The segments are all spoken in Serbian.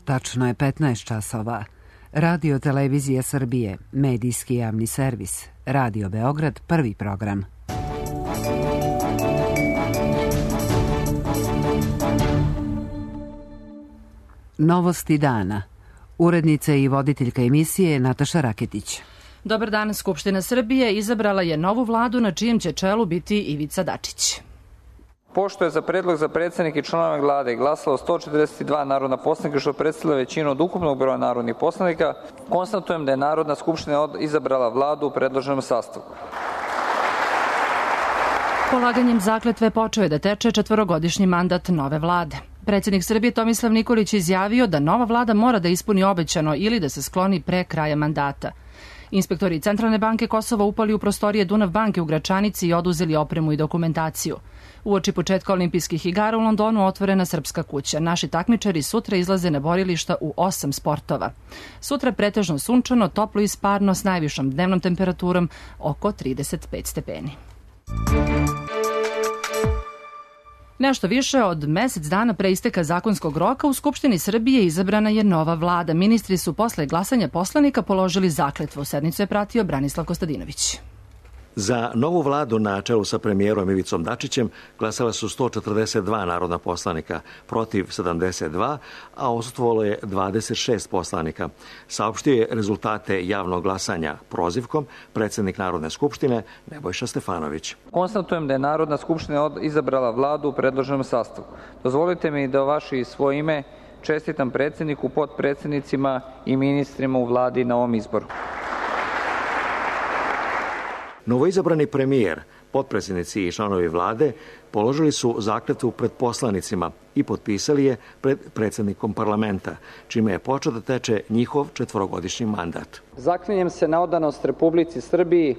Tačno je 15 časova. Radio Televizija Srbije, medijski javni servis. Radio Beograd, prvi program. Novosti dana. Urednica i voditeljka emisije Nataša Raketić. Dobar dan, Skupština Srbije izabrala je novu vladu na čijem će čelu biti Ivica Dačić. Pošto je za predlog za predsednika i članove vlade glasalo 142 narodna poslanika, što predstavlja većinu od ukupnog broja narodnih poslanika, konstatujem da je Narodna skupština izabrala vladu u predloženom sastavu. Polaganjem zakletve počeo je da teče četvorogodišnji mandat nove vlade. Predsednik Srbije Tomislav Nikolić izjavio da nova vlada mora da ispuni obećano ili da se skloni pre kraja mandata. Inspektori Centralne banke Kosova upali u prostorije Dunav banke u Gračanici i oduzeli opremu i dokumentaciju. Uoči početka olimpijskih igara u Londonu otvorena Srpska kuća. Naši takmičari sutra izlaze na borilišta u 8 sportova. Sutra pretežno sunčano, toplo i sparno s najvišom dnevnom temperaturom oko 35 stepeni. Nešto više od mesec dana pre isteka zakonskog roka u Skupštini Srbije izabrana je nova vlada. Ministri su posle glasanja poslanika položili zakletvu. Sednicu je pratio Branislav Kostadinović. Za novu vladu na čelu sa premijerom Ivicom Dačićem glasala su 142 narodna poslanika, protiv 72, a odsustvovalo je 26 poslanika. Saopštio je rezultate javnog glasanja prozivkom predsednik Narodne skupštine Nebojša Stefanović. Konstatujem da je Narodna skupština izabrala vladu u predloženom sastavu. Dozvolite mi da vaše i svoje ime čestitam predsedniku, potpredsednicima i ministrima u vladi na ovom izboru. Novoizabrani premijer, potpredsjednici i članovi vlade položili su zakletvu pred poslanicima i potpisali je pred predsjednikom parlamenta, čime je počeo da teče njihov četvorogodišnji mandat. Zaklinjem se na odanost Republici Srbiji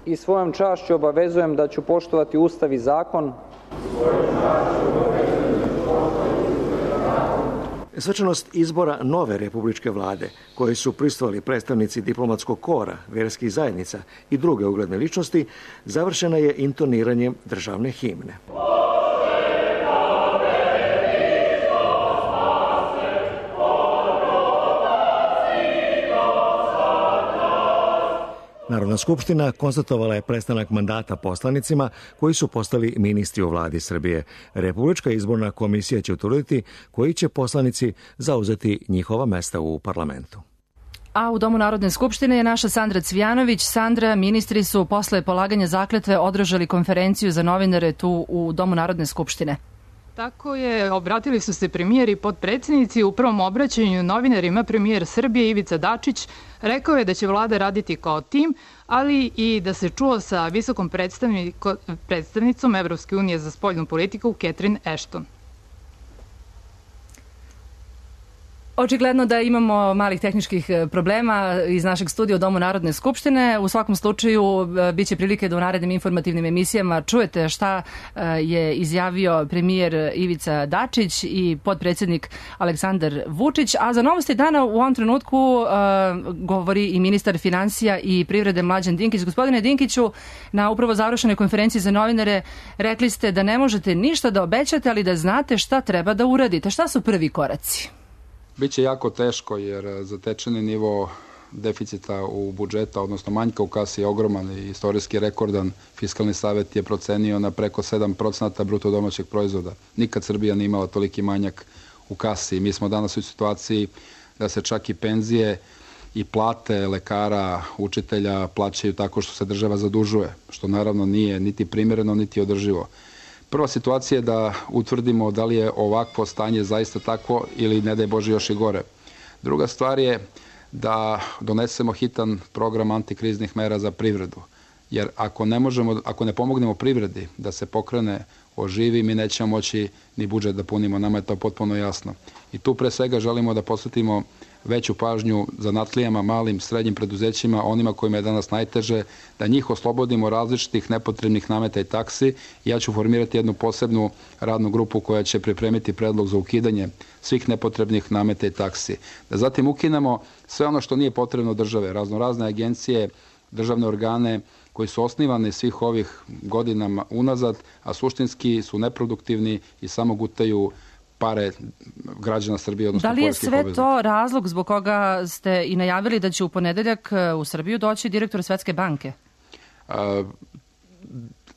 i svojom čašću obavezujem da ću poštovati Ustav i zakon. Svečanost izbora nove republičke vlade, koji su prisustvovali predstavnici diplomatskog kora, verskih zajednica i druge ugledne ličnosti, završena je intoniranjem državne himne. Narodna skupština konstatovala je prestanak mandata poslanicima koji su postali ministri u vladi Srbije. Republička izborna komisija će utvrditi koji će poslanici zauzeti njihova mesta u parlamentu. A u Domu Narodne skupštine je naša Sandra Cvijanović. Sandra, ministri su posle polaganja zakletve održali konferenciju za novinare tu u Domu Narodne skupštine. Tako je, obratili su se premijer i potpredsjednici. U prvom obraćanju novinarima premijer Srbije Ivica Dačić rekao je da će vlada raditi kao tim, ali i da se čuo sa visokom predstavnicom Evropske unije za spoljnu politiku Catherine Ashton. Očigledno da imamo malih tehničkih problema iz našeg studija u Domu Narodne skupštine. U svakom slučaju biće prilike da u narednim informativnim emisijama čujete šta je izjavio premijer Ivica Dačić i potpredsjednik Aleksandar Vučić. A za novosti dana u ovom trenutku govori i ministar finansija i privrede Mlađan Dinkić. Gospodine Dinkiću, na upravo završenoj konferenciji za novinare rekli ste da ne možete ništa da obećate, ali da znate šta treba da uradite. Šta su prvi koraci? Biće jako teško jer zatečeni nivo deficita u budžeta, odnosno manjka u kasi je ogroman i istorijski rekordan. Fiskalni savet je procenio na preko 7% bruto domaćeg proizvoda. Nikad Srbija nije imala toliki manjak u kasi. Mi smo danas u situaciji da se čak i penzije i plate lekara, učitelja plaćaju tako što se država zadužuje, što naravno nije niti primjereno, niti održivo. Prva situacija je da utvrdimo da li je ovakvo stanje zaista takvo ili ne daj Bože još i gore. Druga stvar je da donesemo hitan program antikriznih mera za privredu. Jer ako ne pomognemo privredi da se pokrene, oživi, mi nećemo moći ni budžet da punimo. Nama je to potpuno jasno. I tu pre svega želimo da posvetimo veću pažnju zanatlijama, malim, srednjim preduzećima, onima kojima je danas najteže, da njih oslobodimo različitih nepotrebnih nameta i taksi. Ja ću formirati jednu posebnu radnu grupu koja će pripremiti predlog za ukidanje svih nepotrebnih nameta i taksi. Da zatim ukinemo sve ono što nije potrebno države, raznorazne agencije, državne organe koji su osnivani svih ovih godinama unazad, a suštinski su neproduktivni i samo gutaju pare građana Srbije, odnosno poreskih poreskih obveznika. Da li je sve to razlog zbog koga ste i najavili da će u ponedeljak u Srbiju doći direktor Svetske banke?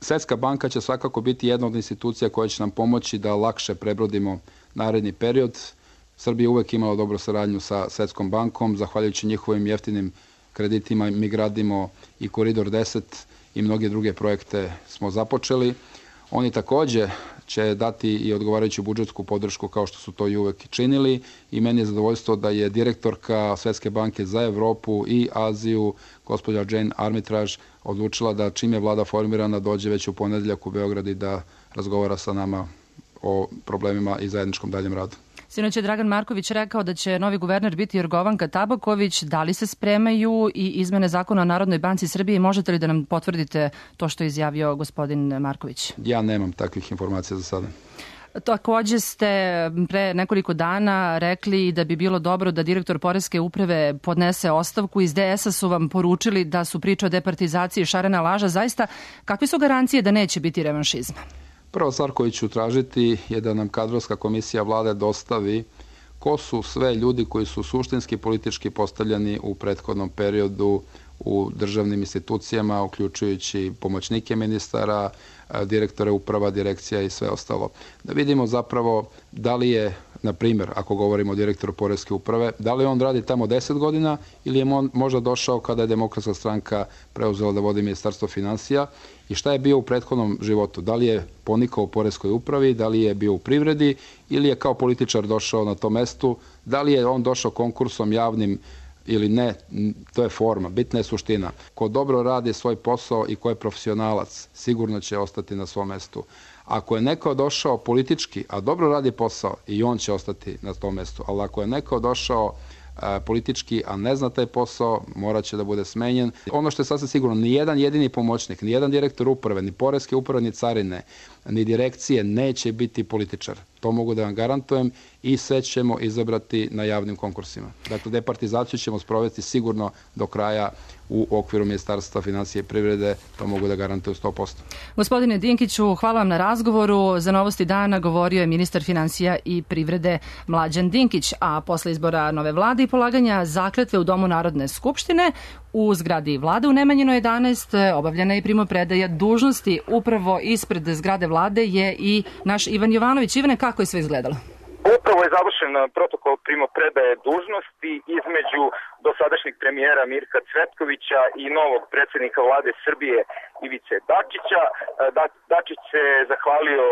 Svetska banka će svakako biti jedna od institucija koja će nam pomoći da lakše prebrodimo naredni period. Srbija je uvek imala dobru saradnju sa Svetskom bankom. Zahvaljujući njihovim jeftinim kreditima mi gradimo i Koridor 10 i mnoge druge projekte smo započeli. Oni takođe će dati i odgovarajuću budžetsku podršku kao što su to i uvek činili i meni je zadovoljstvo da je direktorka Svetske banke za Evropu i Aziju, gospođa Jane Armitage, odlučila da čim je vlada formirana dođe već u ponedeljak u Beograd i da razgovara sa nama o problemima i zajedničkom daljem radu. Sinoć je Dragan Marković rekao da će novi guverner biti Jorgovanka Tabaković. Da li se spremaju i izmene zakona o Narodnoj banci Srbije i možete li da nam potvrdite to što je izjavio gospodin Marković? Ja nemam takvih informacija za sada. Takođe ste pre nekoliko dana rekli da bi bilo dobro da direktor Poreske uprave podnese ostavku. Iz DS-a su vam poručili da su priče o departizaciji šarena laža. Zaista, kakve su garancije da neće biti revanšizma? Prva stvar koju ću tražiti je da nam kadrovska komisija vlade dostavi ko su sve ljudi koji su suštinski politički postavljeni u prethodnom periodu u državnim institucijama, uključujući pomoćnike ministara, direktore uprava, direkcija i sve ostalo. Da vidimo zapravo da li je, na primjer, ako govorimo o direktoru Poreske uprave, da li on radi tamo 10 godina ili je možda došao kada je Demokratska stranka preuzela da vodi Ministarstvo finansija i šta je bio u prethodnom životu. Da li je ponikao u Poreskoj upravi, da li je bio u privredi ili je kao političar došao na to mestu, da li je on došao konkursom javnim ili ne, to je forma, bitna je suština. Ko dobro radi svoj posao i ko je profesionalac, sigurno će ostati na svom mestu. Ako je neko došao politički, a dobro radi posao, i on će ostati na tom mestu. Ali ako je neko došao politički, a ne zna taj posao, morat će da bude smenjen. Ono što je sasvim sigurno, ni jedan jedini pomoćnik, ni jedan direktor uprave, ni Poreske uprave, ni carine, ni direkcije neće biti političar. To mogu da vam garantujem i sve ćemo izabrati na javnim konkursima. Dakle, departizaciju ćemo sprovesti sigurno do kraja u okviru Ministarstva finansije i privrede, to mogu da garantuju 100%. Gospodine Dinkiću, hvala vam na razgovoru. Za Novosti dana govorio je ministar finansija i privrede Mlađan Dinkić, a posle izbora nove vlade i polaganja zakletve u Domu Narodne skupštine u zgradi vlade u Nemanjinoj 11 obavljena je primopredaja dužnosti. Upravo ispred zgrade vlade je i naš Ivan Jovanović. Ivane, kako je sve izgledalo? Upravo je završen protokol primopredaje dužnosti između dosadašnjeg premijera Mirka Cvetkovića i novog predsjednika vlade Srbije Ivice Dačića. Dačić se zahvalio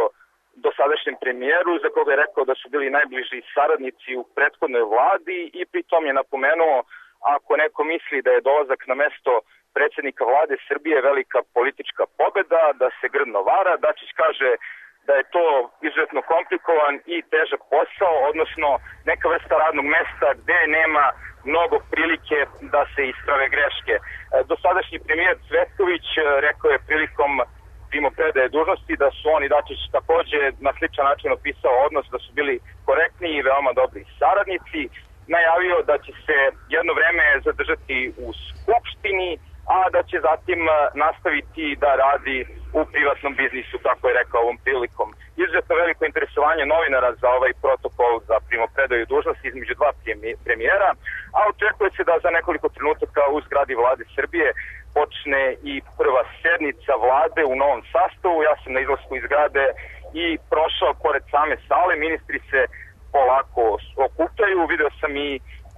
dosadašnjem premijeru za koga je rekao da su bili najbliži saradnici u prethodnoj vladi i pritom je napomenuo ako neko misli da je dolazak na mesto predsjednika vlade Srbije velika politička pobeda, da se grdno vara. Dačić kaže da je to izuzetno komplikovan i težak posao, odnosno neka vrsta radnog mesta gde nema mnogo prilike da se isprave greške. Dosadašnji premijer Cvetković rekao je prilikom primopredaje dužnosti da su on i Dačić takođe na sličan način opisao odnos, da su bili korektni i veoma dobri saradnici. Najavio da će se jedno vreme zadržati u Skupštini, a da će zatim nastaviti da radi u privatnom biznisu, kako je rekao ovom prilikom. Izuzetno veliko interesovanje novinara za ovaj protokol za primopredaju dužnosti između dva premijera, a očekuje se da za nekoliko trenutaka u zgradi vlade Srbije počne i prva sednica vlade u novom sastavu. Ja sam na izlasku iz zgrade i prošao pored same sale, ministri se polako okupljaju, video sam i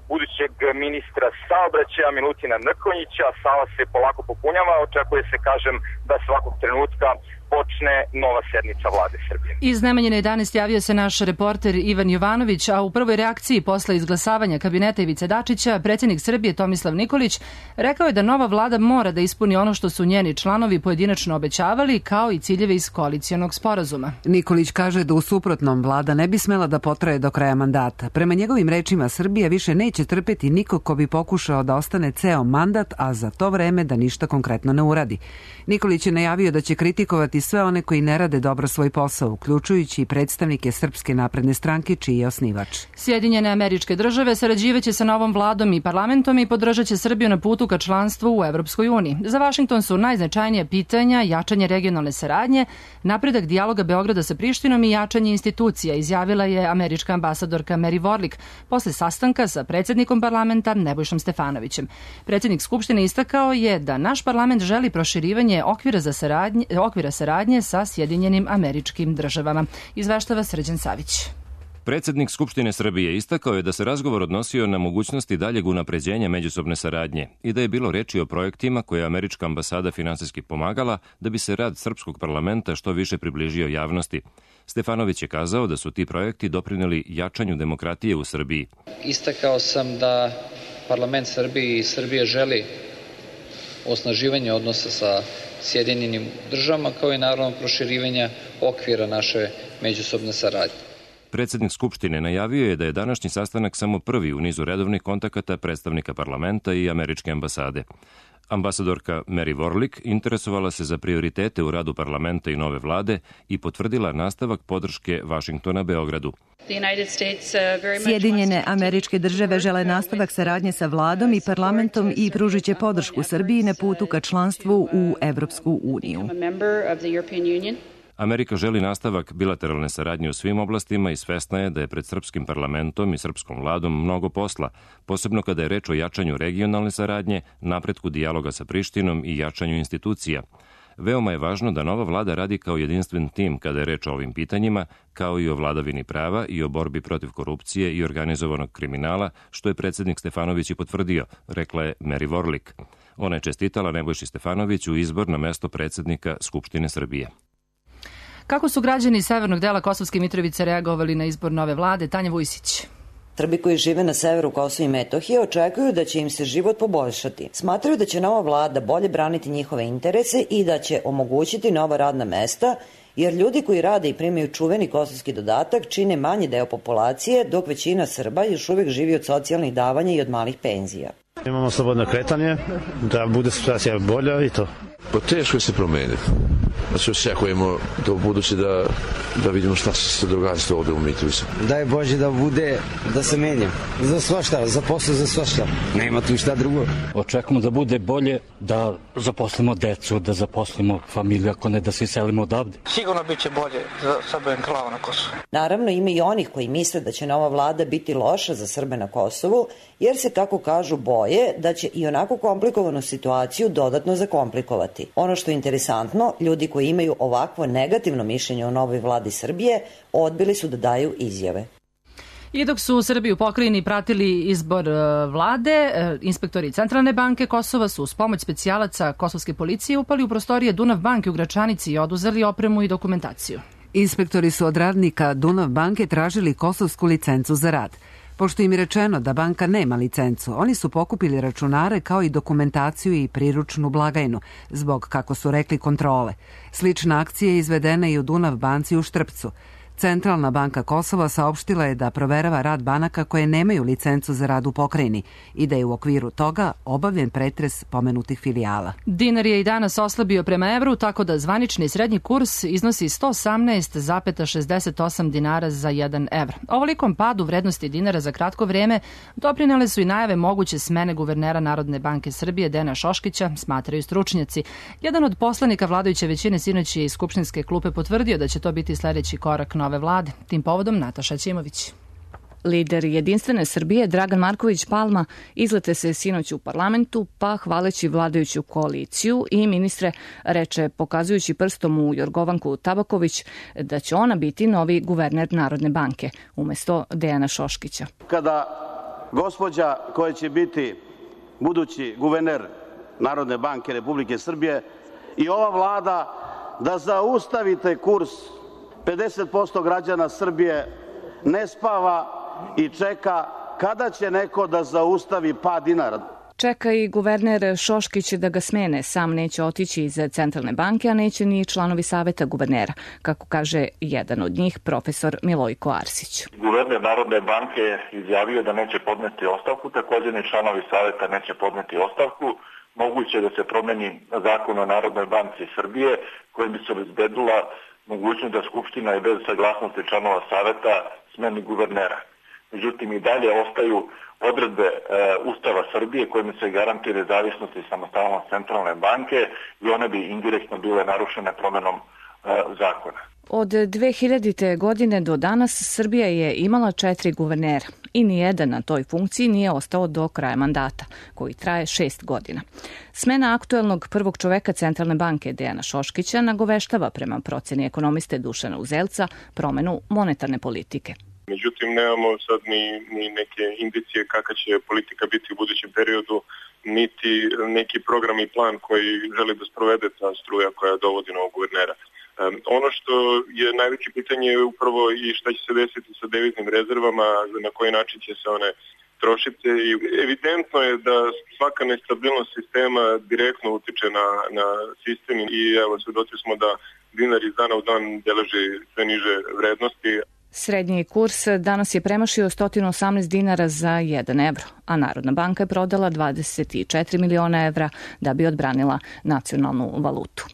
budućeg ministra saobraćaja Milutina Mrkonjića, sala se polako popunjava, očekuje se, kažem, da svakog trenutka počne nova sednica vlade Srbije. Iz Nemanjine 11 javio se naš reporter Ivan Jovanović, a u prvoj reakciji posle izglasavanja kabineta Ivice Dačića, predsjednik Srbije Tomislav Nikolić rekao je da nova vlada mora da ispuni ono što su njeni članovi pojedinačno obećavali, kao i ciljeve iz koalicionog sporazuma. Nikolić kaže da u suprotnom vlada ne bi smela da potraje do kraja mandata. Prema njegovim rečima, Srbija više neće trpeti nikog ko bi pokušao da ostane ceo mandat, a za to vreme da ništa konkretno ne uradi. Nikolić je najavio da će kritikovati kazniti sve one koji ne rade dobro svoj posao, uključujući i predstavnike Srpske napredne stranke, čiji je osnivač. Sjedinjene Američke Države sarađivaće sa novom vladom i parlamentom i podržat će Srbiju na putu ka članstvu u Evropskoj uniji. Za Vašington su najznačajnija pitanja jačanje regionalne saradnje, napredak dijaloga Beograda sa Prištinom i jačanje institucija, izjavila je američka ambasadorka Mary Warlick posle sastanka sa predsjednikom parlamenta Nebojšom Stefanovićem. Predsjednik Skupštine istakao je da naš parlament želi proširivanje okvira saradnje sa Sjedinjenim Američkim Državama. Izveštava Srđan Savić. Predsjednik Skupštine Srbije istakao je da se razgovor odnosio na mogućnosti daljeg unapređenja međusobne saradnje i da je bilo reči o projektima koje je američka ambasada finansijski pomagala da bi se rad srpskog parlamenta što više približio javnosti. Stefanović je kazao da su ti projekti doprineli jačanju demokratije u Srbiji. Istakao sam da parlament Srbije i Srbije želi osnaživanje odnosa sa Sjedinjenim Državama kao i naravno proširivanja okvira naše međusobne saradnje. Predsjednik Skupštine najavio je da je današnji sastanak samo prvi u nizu redovnih kontakata predstavnika parlamenta i američke ambasade. Ambasadorka Mary Warlick interesovala se za prioritete u radu parlamenta i nove vlade i potvrdila nastavak podrške Vašingtona Beogradu. Sjedinjene Američke Države žele nastavak saradnje sa vladom i parlamentom i pružit će podršku Srbiji na putu ka članstvu u Evropsku uniju. Amerika želi nastavak bilateralne saradnje u svim oblastima i svesna je da je pred srpskim parlamentom i srpskom vladom mnogo posla, posebno kada je reč o jačanju regionalne saradnje, napretku dijaloga sa Prištinom i jačanju institucija. Veoma je važno da nova vlada radi kao jedinstven tim kada je reč o ovim pitanjima, kao i o vladavini prava i o borbi protiv korupcije i organizovanog kriminala, što je predsjednik Stefanović i potvrdio, rekla je Mary Warlick. Ona je čestitala Nebojši Stefanoviću izbor na mesto predsjednika Skupštine Srbije. Kako su građani severnog dela Kosovske Mitrovice reagovali na izbor nove vlade? Tanja Vujsić. Srbi koji žive na severu Kosova i Metohije očekuju da će im se život poboljšati. Smatraju da će nova vlada bolje braniti njihove interese i da će omogućiti nova radna mesta, jer ljudi koji rade i primaju čuveni kosovski dodatak čine manji deo populacije, dok većina Srba još uvijek živi od socijalnih davanja i od malih penzija. Imamo slobodno kretanje, da bude situacija bolja i to. Pa teško je se promeniti. Znači očekujemo do budući da vidimo šta se događa ovdje u Mitrovici. Daj Bože da bude, da se menja. Za svašta, za posao, za svašta. Nema tu šta drugo. Očekujemo da bude bolje, da zaposlimo decu, da zaposlimo familiju, ako ne da se selimo odavde. Sigurno bit će bolje za Srbe enklava na Kosovu. Naravno ima i onih koji misle da će nova vlada biti loša za Srbe na Kosovu, jer se, kako kažu, boje da će i onako komplikovanu situaciju dodatno zakomplikovati. Ono što je interesantno, ljudi koji imaju ovakvo negativno mišljenje o novoj vladi Srbije odbili su da daju izjave. I dok su u Srbiji u pokrajini pratili izbor vlade, inspektori Centralne banke Kosova su uz pomoć specijalaca kosovske policije upali u prostorije Dunav banke u Gračanici i oduzeli opremu i dokumentaciju. Inspektori su od radnika Dunav banke tražili kosovsku licencu za rad. Pošto im je rečeno da banka nema licencu, oni su pokupili računare kao i dokumentaciju i priručnu blagajnu, zbog, kako su rekli, kontrole. Slična akcija je izvedena i u Dunav banci u Štrpcu. Centralna banka Kosova saopštila je da proverava rad banaka koje nemaju licencu za rad u pokrajini i da je u okviru toga obavljen pretres pomenutih filijala. Dinar je i danas oslabio prema evru, tako da zvanični srednji kurs iznosi 118,68 dinara za 1 evr. Ovolikom padu vrednosti dinara za kratko vrijeme doprinele su i najave moguće smene guvernera Narodne banke Srbije Dejana Šoškića, smatraju stručnjaci. Jedan od poslanika vladajuće većine sinoć je iz skupštinske klupe potvrdio da će to biti sljedeći korak nove vlade. Tim povodom Nataša Ćimović. Lider Jedinstvene Srbije Dragan Marković Palma izlete se sinoć u parlamentu, pa hvaleći vladajuću koaliciju i ministre reče, pokazujući prstom u Jorgovanku Tabaković, da će ona biti novi guverner Narodne banke umjesto Dejana Šoškića. Kada gospođa koja će biti budući guverner Narodne banke Republike Srbije i ova vlada da zaustavite kurs 50% građana Srbije ne spava i čeka kada će neko da zaustavi pad dinara. Čeka i guverner Šoškić da ga smene. Sam neće otići iz Centralne banke, a neće ni članovi saveta guvernera, kako kaže jedan od njih, profesor Milojko Arsić. Guverner Narodne banke izjavio da neće podneti ostavku, također ni članovi saveta neće podneti ostavku. moguće da se promeni zakon o Narodnoj banci Srbije, kojim bi se obezbedila mogućnost da Skupština i bez saglasnosti članova saveta smeni guvernera. Međutim, i dalje ostaju odredbe Ustava Srbije kojim se garantuje nezavisnost i samostalnost centralne banke i one bi indirektno bile narušene promenom zakona. Od 2000. godine do danas Srbija je imala 4 guvernera i nijedan na toj funkciji nije ostao do kraja mandata, koji traje 6 godina. Smena aktuelnog prvog čoveka Centralne banke Dejana Šoškića nagoveštava prema proceni ekonomiste Dušana Uzelca promenu monetarne politike. Međutim, nemamo sad ni neke indicije kakva će politika biti u budućem periodu, niti neki program i plan koji želi da sprovede ta struja koja dovodi novog guvernera. Ono što je najveće pitanje je upravo i šta će se desiti sa deviznim rezervama, na koji način će se one trošiti. I evidentno je da svaka nestabilnost sistema direktno utiče na sistem i evo svedoci smo da dinar iz dana u dan beleži sve niže vrednosti. Srednji kurs danas je premašio 118 dinara za 1 evro, a Narodna banka je prodala 24 miliona evra da bi odbranila nacionalnu valutu.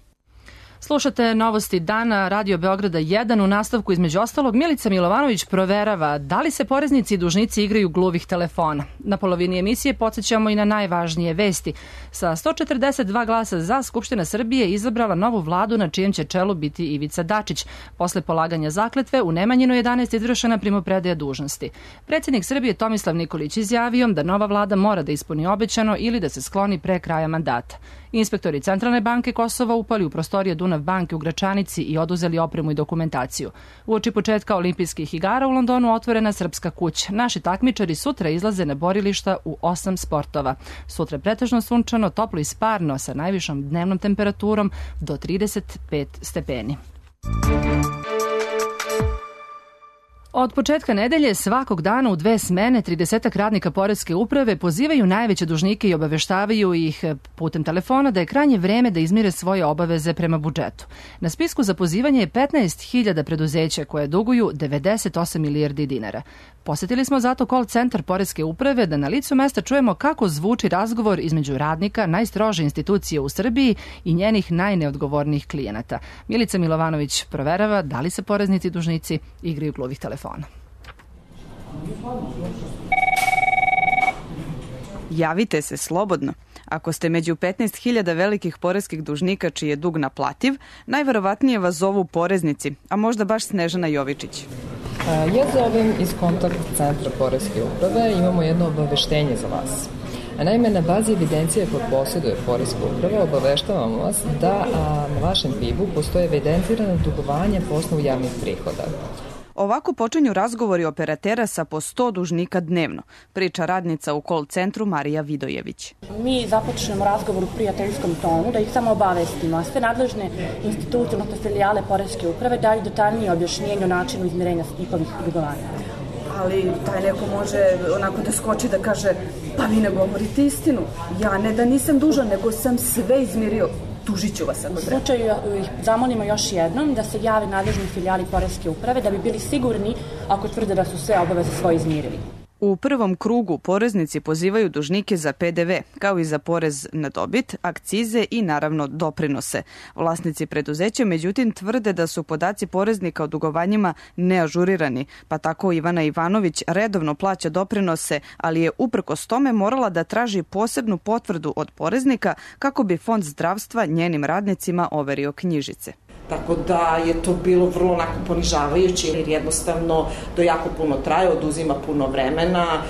Slušate novosti dana Radio Beograda 1. U nastavku između ostalog Milica Milovanović proverava da li se poreznici i dužnici igraju gluvih telefona. Na polovini emisije podsjećamo i na najvažnije vesti. Sa 142 glasa za, Skupština Srbije izabrala novu vladu na čijem će čelu biti Ivica Dačić. Posle polaganja zakletve u Nemanjinu 11 izvršena primopredaja dužnosti. Predsjednik Srbije Tomislav Nikolić izjavio da nova vlada mora da ispuni obećano ili da se skloni pre kraja mandata. Inspektori Centralne banke Kosova upali u prostorije Dunav banke u Gračanici i oduzeli opremu i dokumentaciju. Uoči početka olimpijskih igara u Londonu otvorena Srpska kuća. Naši takmičari sutra izlaze na borilišta u 8 sportova. Sutra pretežno sunčano, toplo i sparno sa najvišom dnevnom temperaturom do 35 stepeni. Od početka nedelje svakog dana u 2 smene 30 radnika poreske uprave pozivaju najveće dužnike i obaveštavaju ih putem telefona da je krajnje vreme da izmire svoje obaveze prema budžetu. Na spisku za pozivanje je 15.000 preduzeća koje duguju 98 milijardi dinara. Posetili smo zato call centar poreske uprave da na licu mesta čujemo kako zvuči razgovor između radnika najstrože institucije u Srbiji i njenih najneodgovornijih klijenata. Milica Milovanović proverava da li se poreznici i dužnici igraju gluvih telefona. Javite se slobodno. Ako ste među 15.000 velikih poreskih dužnika čiji je dug naplativ, najverovatnije vas zovu poreznici, a možda baš Snežana Jovičić. Ja zovem iz kontakt centra poreske uprave, imamo jedno obaveštenje za vas. Naime, na bazi evidencije koje posjeduje poreska uprava obaveštavamo vas da na vašem PIB-u postoje evidentirane dugovanja po osnovu javnih prihoda. Ovako počinju razgovori operatera sa po 100 dužnika dnevno, priča radnica u call centru Marija Vidojević. Mi započnemo razgovor u prijateljskom tonu, da ih samo obavestimo, a sve nadležne institucije, odnosno filijale poreske uprave daju detaljnije objašnjenje o načinu izmirenja njihovih dugovanja. Ali taj neko može onako da skoči da kaže, pa vi ne govorite istinu, ja ne da nisam dužan, nego sam sve izmirio. Tužit ću vas ako treba. U slučaju ih zamolimo još jednom da se jave nadležni filijali poreske uprave da bi bili sigurni ako tvrde da su sve obaveze svoje izmirili. U prvom krugu poreznici pozivaju dužnike za PDV, kao i za porez na dobit, akcize i naravno doprinose. Vlasnici preduzeća međutim tvrde da su podaci poreznika o dugovanjima neažurirani, pa tako Ivana Ivanović redovno plaća doprinose, ali je uprkos tome morala da traži posebnu potvrdu od poreznika kako bi Fond zdravstva njenim radnicima overio knjižice. Tako da je to bilo vrlo onako ponižavajuće jer jednostavno to jako puno traje, oduzima puno vremena,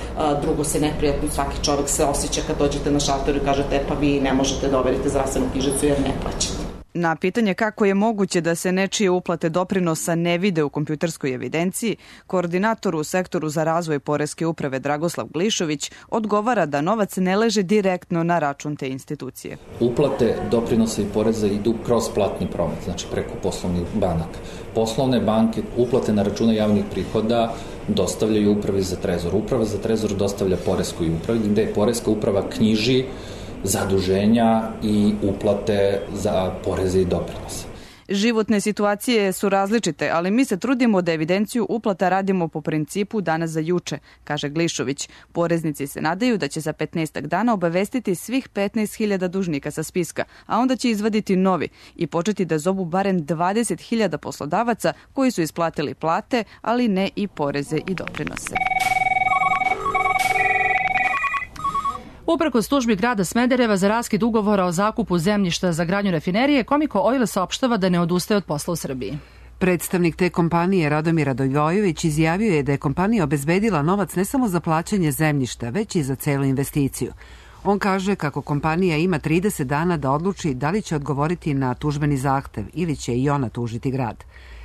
drugo se neprijatno, svaki čovek se osjeća kad dođete na šalter i kažete pa vi ne možete da overite zdravstvenu knjižicu jer ne plaćate. Na pitanje kako je moguće da se nečije uplate doprinosa ne vide u kompjuterskoj evidenciji, koordinator u sektoru za razvoj poreske uprave Dragoslav Glišović odgovara da novac ne leže direktno na račun te institucije. Uplate doprinosa i poreza idu kroz platni promet, znači preko poslovnih banaka. Poslovne banke uplate na račune javnih prihoda dostavljaju upravi za trezor. Uprava za trezor dostavlja poreskoj upravi, gde je poreska uprava knjiži zaduženja i uplate za poreze i doprinose. Životne situacije su različite, ali mi se trudimo da evidenciju uplata radimo po principu danas za juče, kaže Glišović. Poreznici se nadaju da će za 15 dana obavestiti svih 15.000 dužnika sa spiska, a onda će izvaditi novi i početi da zovu barem 20.000 poslodavaca koji su isplatili plate, ali ne i poreze i doprinose. Uprkos tužbi grada Smedereva za raskid ugovora o zakupu zemljišta za gradnju rafinerije, Komiko Oil saopštava da ne odustaje od posla u Srbiji. Predstavnik te kompanije Radomir Radojvojević izjavio je da je kompanija obezbedila novac ne samo za plaćanje zemljišta, već i za celu investiciju. On kaže kako kompanija ima 30 dana da odluči da li će odgovoriti na tužbeni zahtev ili će i ona tužiti grad.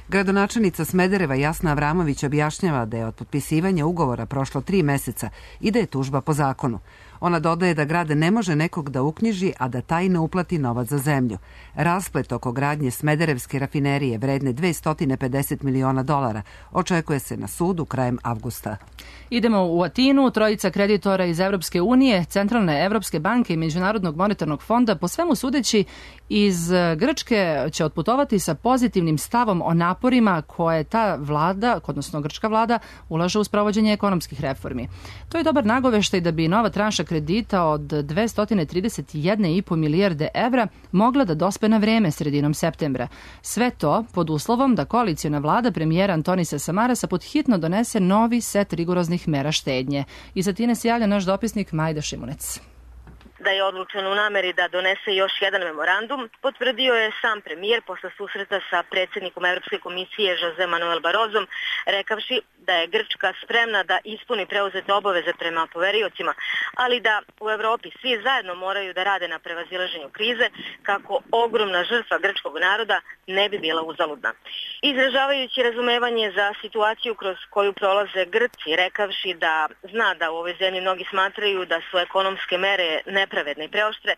Gradonačelnica Smedereva Jasna Avramović objašnjava da je od potpisivanja ugovora prošlo 3 meseca i da je tužba po zakonu. Ona dodaje da grad ne može nekog da uknjiži, a da taj ne uplati novac za zemlju. Rasplet oko gradnje Smederevske rafinerije vredne $250 miliona očekuje se na sudu krajem avgusta. Idemo u Atinu. Trojica kreditora iz Evropske unije, Centralne Evropske banke i Međunarodnog monetarnog fonda, po svemu sudeći iz Grčke, će otputovati sa pozitivnim stavom o naporima koje ta vlada, odnosno grčka vlada, ulaže u sprovođenje ekonomskih reformi. To je dobar nagoveštaj da bi nova tranša kredita od 231,5 milijarde evra mogla da dospe na vreme sredinom septembra. Sve to pod uslovom da koaliciona vlada premijera Antonisa Samarasa podhitno donese novi set rigoroznih mera štednje. Iz Atine se javlja naš dopisnik Majda Šimunec. Da je odlučen u nameri da donese još jedan memorandum, potvrdio je sam premijer posle susreta sa predsjednikom Evropske komisije Jose Manuel Barrozom, rekavši da je Grčka spremna da ispuni preuzete obaveze prema poveriocima, ali da u Evropi svi zajedno moraju da rade na prevazilaženju krize kako ogromna žrtva grčkog naroda ne bi bila uzaludna. Izražavajući razumevanje za situaciju kroz koju prolaze Grci, rekavši da zna da u ovoj zemlji mnogi smatraju da su ekonomske mere nepravedne i preoštre,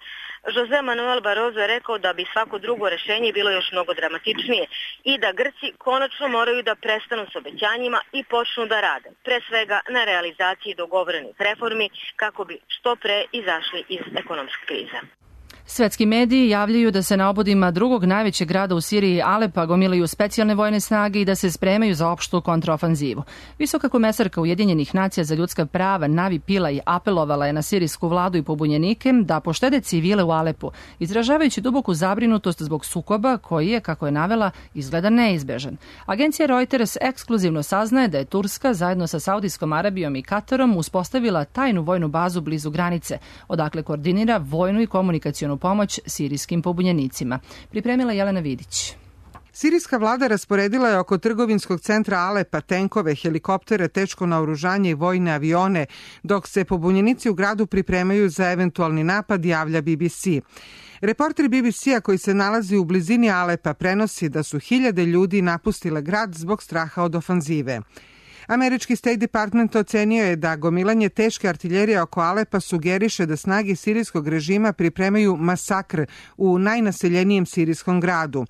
Jose Manuel Barroso je rekao da bi svako drugo rešenje bilo još mnogo dramatičnije i da Grci konačno moraju da prestanu s obećanjima i počnu da rade, pre svega na realizaciji dogovorenih reformi kako bi što pre izašli iz ekonomske krize. Svetski mediji javljaju da se na obodima drugog najvećeg grada u Siriji, Alepa, gomilaju specijalne vojne snage i da se spremaju za opštu kontraofanzivu. Visoka komesarka Ujedinjenih nacija za ljudska prava Navi Pillay apelovala je na sirijsku vladu i pobunjenike da poštede civile u Alepu, izražavajući duboku zabrinutost zbog sukoba koji je, kako je navela, izgleda neizbežan. Agencija Reuters ekskluzivno saznaje da je Turska zajedno sa Saudijskom Arabijom i Katarom uspostavila tajnu vojnu bazu blizu granice, odakle koordinira vojnu i komunikacionu pomoć sirijskim pobunjenicima. Pripremila Jelena Vidić. Sirijska vlada rasporedila je oko trgovinskog centra Alepa tenkove, helikoptere, teško naoružanje i vojne avione, dok se pobunjenici u gradu pripremaju za eventualni napad, javlja BBC. Reporter BBC-a koji se nalazi u blizini Alepa prenosi da su hiljade ljudi napustile grad zbog straha od ofanzive. Američki State Department ocenio je da gomilanje teške artiljerije oko Alepa sugeriše da snage sirijskog režima pripremaju masakr u najnaseljenijem sirijskom gradu.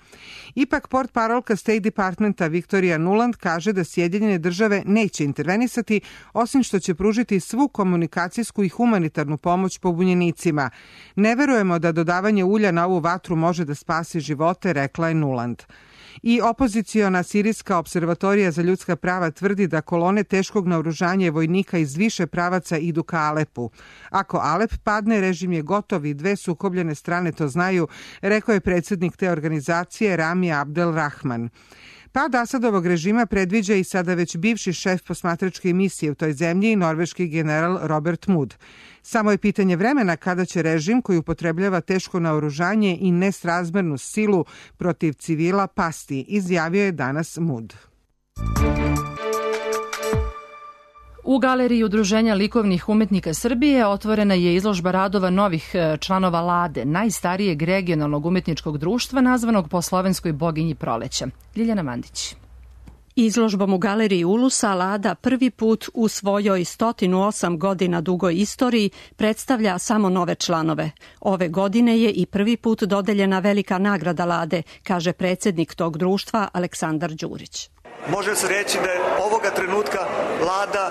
Ipak portparolka State Departmenta Victoria Nuland kaže da Sjedinjene države neće intervenisati, osim što će pružiti svu komunikacijsku i humanitarnu pomoć pobunjenicima. Ne verujemo da dodavanje ulja na ovu vatru može da spasi živote, rekla je Nuland. I opoziciona sirijska observatorija za ljudska prava tvrdi da kolone teškog naoružanja i vojnika iz više pravaca idu ka Alepu. Ako Alep padne, režim je gotov i dve sukobljene strane to znaju, rekao je predsjednik te organizacije Rami Abdel Rahman. Pad Asadovog režima predviđa i sada već bivši šef posmatračke misije u toj zemlji, norveški general Robert Mood. Samo je pitanje vremena kada će režim koji upotrebljava teško naoružanje i nesrazmernu silu protiv civila pasti, izjavio je danas Mood. U Galeriji Udruženja likovnih umetnika Srbije otvorena je izložba radova novih članova Lade, najstarijeg regionalnog umetničkog društva nazvanog po slovenskoj boginji proleća. Ljiljana Mandić. Izložbom u Galeriji Ulusa Lada prvi put u svojoj 108 godina dugoj istoriji predstavlja samo nove članove. Ove godine je i prvi put dodeljena velika nagrada Lade, kaže predsjednik tog društva Aleksandar Đurić. Može se reći da je ovoga trenutka Lada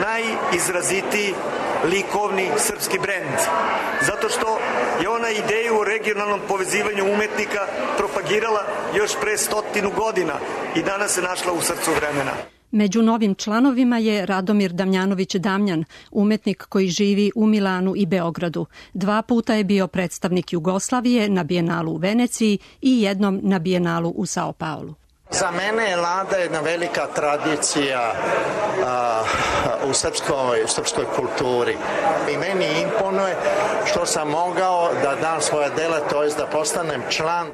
najizrazitiji likovni srpski brend. Zato što je ona ideju o regionalnom povezivanju umetnika propagirala još pre 100 godina i danas se našla u srcu vremena. Među novim članovima je Radomir Damjanović Damjan, umetnik koji živi u Milanu i Beogradu. 2 puta je bio predstavnik Jugoslavije na Bijenalu u Veneciji i jednom na Bijenalu u Sao Paulu. Za mene je Lada jedna velika tradicija u srpskoj kulturi. I meni imponuje što sam mogao da dam svoje dela, to je da postanem član.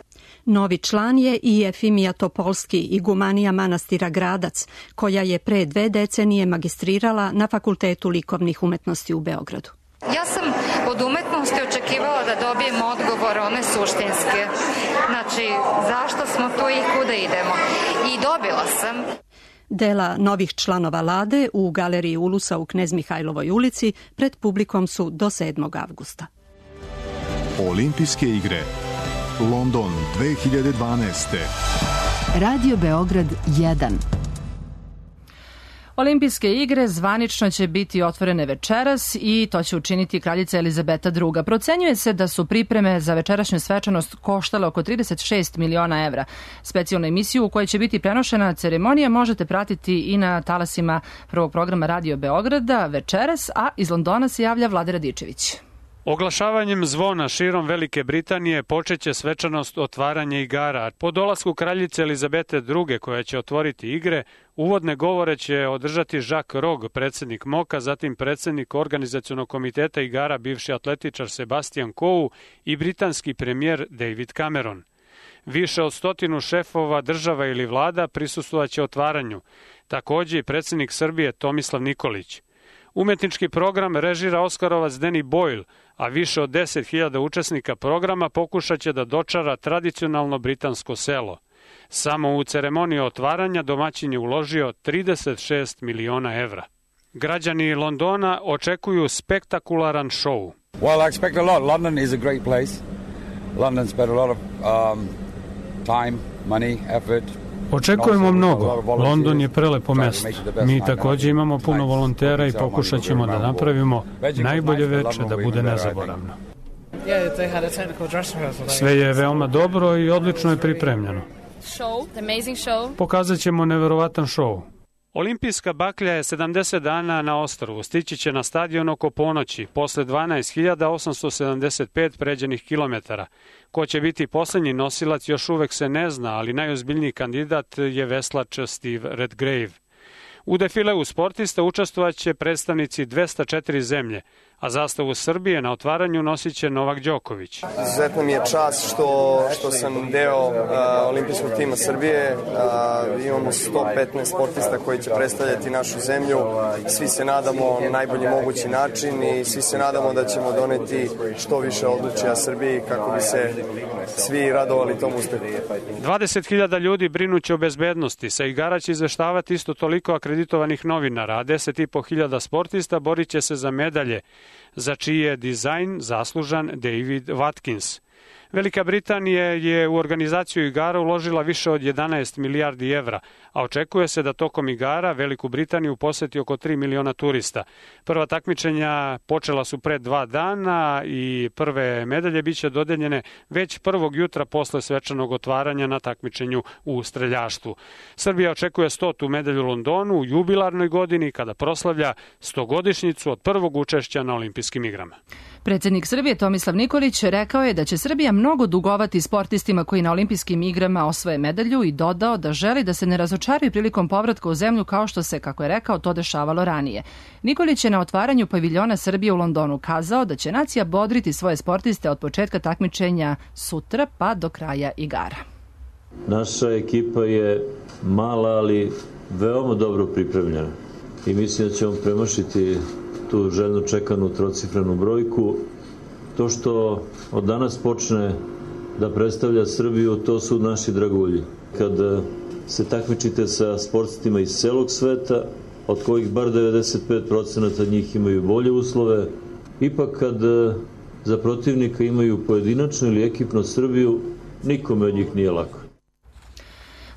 Novi član je i Efimija Topolski, igumanija manastira Gradac, koja je pre 2 decenije magistrirala na Fakultetu likovnih umetnosti u Beogradu. Ja sam od umetnosti očekivala da dobijem odgovor, one suštinske. Znači, zašto smo tu i kuda idemo? I dobila sam. Dela novih članova Lade u Galeriji Ulusa u Knez Mihajlovoj ulici pred publikom su do 7. avgusta. Olimpijske igre London 2012. Radio Beograd 1. Olimpijske igre zvanično će biti otvorene večeras i to će učiniti kraljica Elizabeta II. Procenjuje se da su pripreme za večerašnju svečanost koštale oko 36 miliona evra. Specijalnu emisiju u kojoj će biti prenošena ceremonija možete pratiti i na talasima prvog programa Radio Beograda večeras, a iz Londona se javlja Vlada Radičević. Oglašavanjem zvona širom Velike Britanije počeće svečanost otvaranja igara. Po dolasku kraljice Elizabete II, koja će otvoriti igre, uvodne govore će održati Jacques Rogge, predsjednik MOK-a, zatim predsjednik organizacionog komiteta igara bivši atletičar Sebastian Coe i britanski premijer David Cameron. Više od 100 šefova država ili vlada prisustvovaće otvaranju. Također i predsjednik Srbije Tomislav Nikolić. Umetnički program režira Oskarovac Danny Boyle, a više od 10.000 učesnika programa pokušat će da dočara tradicionalno britansko selo. Samo u ceremoniju otvaranja domaćin je uložio 36 miliona evra. Građani Londona očekuju spektakularan šou. Well, I expect a lot. London is a great place. London spent a lot of time, money, effort. Očekujemo mnogo. London je prelepo mesto. Mi također imamo puno volontera i pokušat ćemo da napravimo najbolje veče da bude nezaboravno. Sve je veoma dobro i odlično je pripremljeno. Pokazat ćemo neverovatan šou. Olimpijska baklja je 70 dana na ostrvu. Stići će na stadion oko ponoći, posle 12.875 pređenih kilometara. Ko će biti posljednji nosilac još uvek se ne zna, ali najozbiljniji kandidat je veslač Steve Redgrave. U defileu sportista učestvovaće predstavnici 204 zemlje, a zastavu Srbije na otvaranju nosit će Novak Đoković. Izuzetno mi je čast što sam deo olimpijskog tima Srbije. Imamo 115 sportista koji će predstavljati našu zemlju. Svi se nadamo na najbolji mogući način i svi se nadamo da ćemo doneti što više odličja Srbiji kako bi se svi radovali tom uspehu. 20.000 ljudi brinuće o bezbednosti. Sa igara će izveštavati isto toliko akreditovanih novinara, a 10.500 sportista borit će se za medalje, za čiji je dizajn zaslužan David Watkins. Velika Britanija je u organizaciju igara uložila više od 11 milijardi evra, a očekuje se da tokom igara Veliku Britaniju poseti oko 3 miliona turista. Prva takmičenja počela su pre 2 dana i prve medalje biće dodeljene već prvog jutra posle svečanog otvaranja na takmičenju u streljaštvu. Srbija očekuje 100. medalju u Londonu u jubilarnoj godini kada proslavlja 100-godišnjicu od prvog učešća na olimpijskim igrama. Predsjednik Srbije Tomislav Nikolić rekao je da će Srbija mnogo dugovati sportistima koji na olimpijskim igrama osvoje medalju i dodao da želi da se ne razočaraju prilikom povratka u zemlju kao što se, kako je rekao, to dešavalo ranije. Nikolić je na otvaranju paviljona Srbije u Londonu kazao da će nacija bodriti svoje sportiste od početka takmičenja sutra pa do kraja igara. Naša ekipa je mala, ali veoma dobro pripremljena i mislim da ćemo premašiti tu željno čekanu trocifrenu brojku. To što od danas počne da predstavlja Srbiju, to su naši dragulji. Kad se takmičite sa sportistima iz celog sveta, od kojih bar 95% njih imaju bolje uslove, ipak kad za protivnika imaju pojedinačnu ili ekipnu Srbiju, nikome od njih nije lako.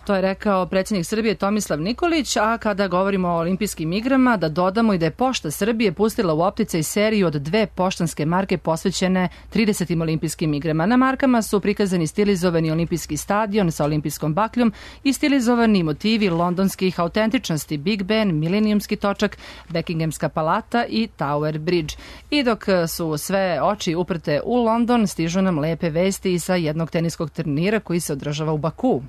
To je rekao predsjednik Srbije Tomislav Nikolić, a kada govorimo o olimpijskim igrama, da dodamo i da je Pošta Srbije pustila u opticaj seriju od 2 poštanske marke posvećene 30. olimpijskim igrama. Na markama su prikazani stilizovani olimpijski stadion sa olimpijskom bakljom i stilizovani motivi londonskih autentičnosti Big Ben, Milenijumski točak, Buckinghamska palata i Tower Bridge. I dok su sve oči uprte u London, stižu nam lepe vesti i sa jednog teniskog turnira koji se održava u Baku.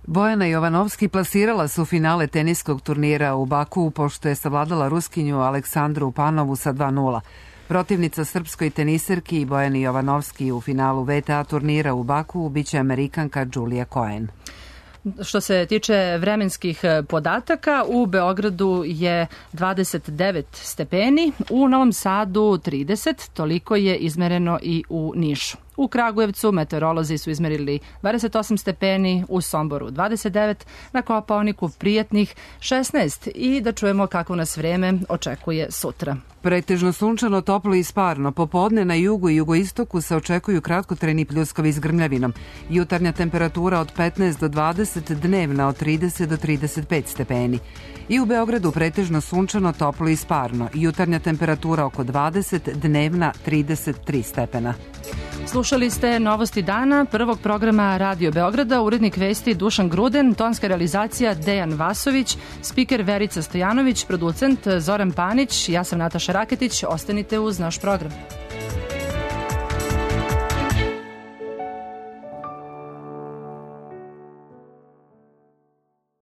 Bojana Jovanovski plasirala su finale teniskog turnira u Baku pošto je savladala Ruskinju Aleksandru Panovu sa 2:0. Protivnica srpskoj teniserki Bojani Jovanovski u finalu WTA turnira u Baku biće Amerikanka Julia Cohen. Što se tiče vremenskih podataka, u Beogradu je 29 stepeni, u Novom Sadu 30, toliko je izmereno i u Nišu. U Kragujevcu meteorolozi su izmerili 28 stepeni, u Somboru 29, na Kopaoniku prijatnih 16 i da čujemo kako nas vreme očekuje sutra. Pretežno sunčano, toplo i sparno. Popodne na jugu i jugoistoku se očekuju kratkotrajni pljuskovi s grmljavinom. Jutarnja temperatura od 15 do 20, dnevna od 30 do 35 stepeni. I u Beogradu pretežno sunčano, toplo i sparno. Jutarnja temperatura oko 20, dnevna 33 stepena. Slušali ste Novosti dana, prvog programa Radio Beograda, urednik vesti Dušan Gruden, tonska realizacija Dejan Vasović, spiker Verica Stojanović, producent Zoran Panić, ja sam Nataša Raketić, ostanite uz naš program.